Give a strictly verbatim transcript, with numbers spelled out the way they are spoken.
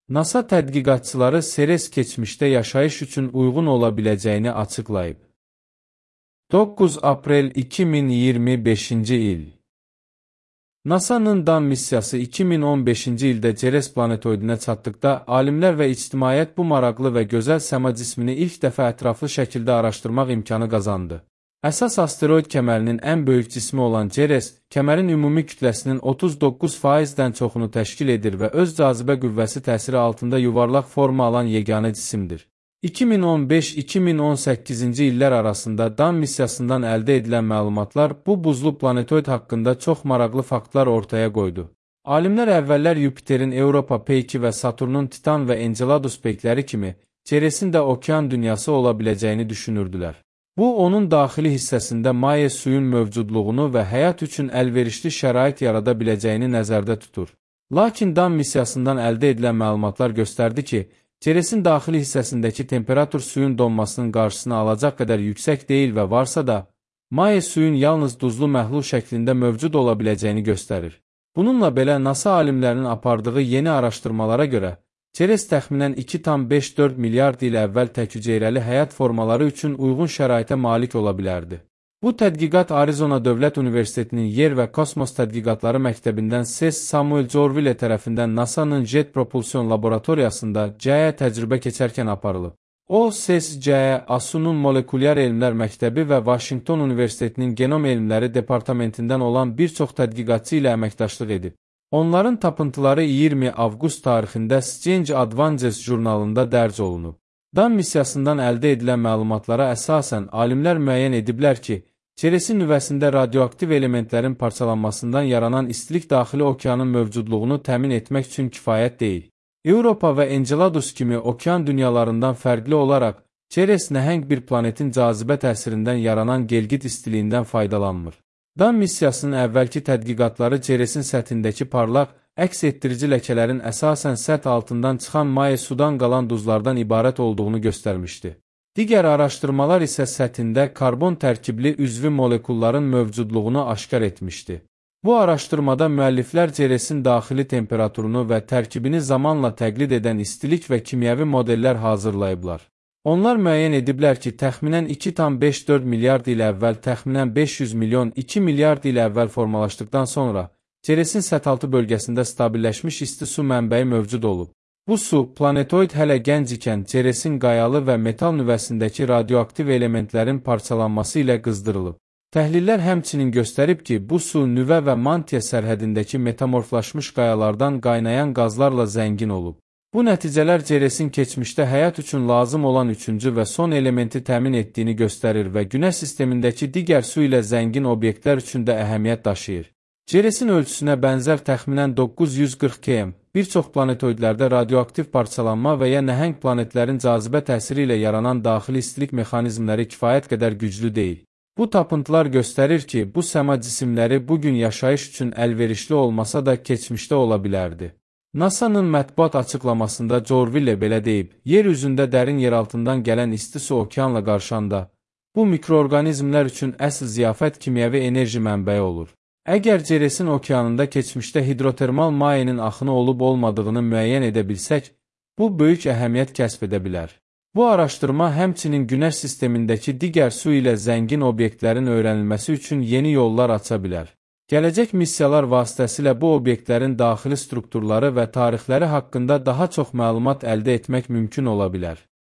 NASA tədqiqatçıları Ceres keçmişdə yaşayış üçün uyğun ola biləcəyini açıqlayıb. doqquz aprel iki min iyirmi beşinci il. NASA'nın Dan missiyası iki min on beşinci ildə Ceres planetoidinə çatdıqda, alimlər və ictimaiyyət bu maraqlı və gözəl səma cismini ilk dəfə ətraflı şəkildə araşdırmaq imkanı qazandı. Əsas asteroid kəmərinin ən böyük cismi olan Ceres, kəmərin ümumi kütləsinin otuz doqquz faizdən çoxunu təşkil edir və öz cazibə qüvvəsi təsiri altında yuvarlaq forma alan yeganə cisimdir. iki min on beş iki min on səkkizinci illər arasında Dan missiyasından əldə edilən məlumatlar bu buzlu planetoid haqqında çox maraqlı faktlar ortaya qoydu. Alimlər əvvəllər Yupiterin Europa peyki və Saturnun Titan və Enceladus peykləri kimi Ceresin də okean dünyası ola biləcəyini düşünürdülər. Bu, onun daxili hissəsində maye suyun mövcudluğunu və həyat üçün əlverişli şərait yarada biləcəyini nəzərdə tutur. Lakin Dan missiyasından əldə edilən məlumatlar göstərdi ki, Ceresin daxili hissəsindəki temperatur suyun donmasının qarşısını alacaq qədər yüksək deyil və varsa da, maye suyun yalnız duzlu məhlul şəklində mövcud ola biləcəyini göstərir. Bununla belə NASA alimlərinin apardığı yeni araşdırmalara görə, Ceres təxminən iki tam beş dörd milyard il əvvəl təkyüceyrəli həyat formaları üçün uyğun şəraitə malik ola bilərdi. Bu tədqiqat Arizona Dövlət Universitetinin Yer və Kosmos Tədqiqatları Məktəbindən C E S Samuel Jorville tərəfindən NASA'nın Jet Propulsion Laboratoriyasında C E təcrübə keçərkən aparılıb. O, C E S C E, A S U-nun Molekulyar Elmlər Məktəbi və Washington Universitetinin Genom Elmləri Departamentindən olan bir çox tədqiqatçı ilə əməkdaşlıq edib. Onların tapıntıları iyirmi avqust tarixində Science Advances jurnalında dərc olunub. Dan missiyasından əldə edilən məlumatlara əsasən alimlər müəyyən ediblər ki, Ceresin nüvəsində radioaktiv elementlərin parçalanmasından yaranan istilik daxili okeanın mövcudluğunu təmin etmək üçün kifayət deyil. Europa və Enceladus kimi okean dünyalarından fərqli olaraq, Ceres nəhəng bir planetin cazibə təsirindən yaranan gelgit istiliyindən faydalanmır. Dan missiyasının əvvəlki tədqiqatları Ceresin səthindəki parlaq, əks etdirici ləkələrin əsasən səth altından çıxan maye sudan qalan duzlardan ibarət olduğunu göstərmişdi. Digər araşdırmalar isə səthində karbon tərkibli üzvü molekulların mövcudluğunu aşkar etmişdi. Bu araşdırmada müəlliflər Ceresin daxili temperaturunu və tərkibini zamanla təqlid edən istilik və kimyəvi modellər hazırlayıblar. Onlar müəyyən ediblər ki, təxminən iki tam beş dörd milyard il əvvəl təxminən beş yüz milyon iki milyard il əvvəl formalaşdıqdan sonra Ceresin səthaltı bölgəsində stabilləşmiş isti su mənbəyi mövcud olub. Bu su, planetoid hələ gənc ikən Ceresin qayalı və metal nüvəsindəki radioaktiv elementlərin parçalanması ilə qızdırılıb. Təhlillər həmçinin göstərib ki, bu su nüvə və mantia sərhədindəki metamorflaşmış qayalardan qaynayan qazlarla zəngin olub. Bu nəticələr Ceresin keçmişdə həyat üçün lazım olan üçüncü və son elementi təmin etdiyini göstərir və Günəş sistemindəki digər su ilə zəngin obyektlər üçün də əhəmiyyət daşıyır. Ceresin ölçüsünə bənzər təxminən doqquz yüz qırx kilometr, bir çox planetoidlərdə radioaktiv parçalanma və ya nəhəng planetlərin cazibə təsiri ilə yaranan daxili istilik mexanizmləri kifayət qədər güclü deyil. Bu tapıntılar göstərir ki, bu səma cisimləri bugün yaşayış üçün əlverişli olmasa da keçmişdə ola bilərdi. NASA'nın mətbuat açıqlamasında Jorville belə deyib, yer üzündə dərin yeraltından gələn isti su okeanla qarşanda, bu mikroorqanizmlər üçün əsl ziyafət kimyəvi enerji mənbəyi olur. Əgər Ceresin okeanında keçmişdə hidrotermal mayenin axını olub-olmadığını müəyyən edə bilsək, bu böyük əhəmiyyət kəsb edə bilər. Bu araşdırma həmçinin Günəş sistemindəki digər su ilə zəngin obyektlərin öyrənilməsi üçün yeni yollar aça bilər. Gələcək missiyalar vasitəsilə bu obyektlərin daxili strukturları və tarixləri haqqında daha çox məlumat əldə etmək mümkün ola bilər.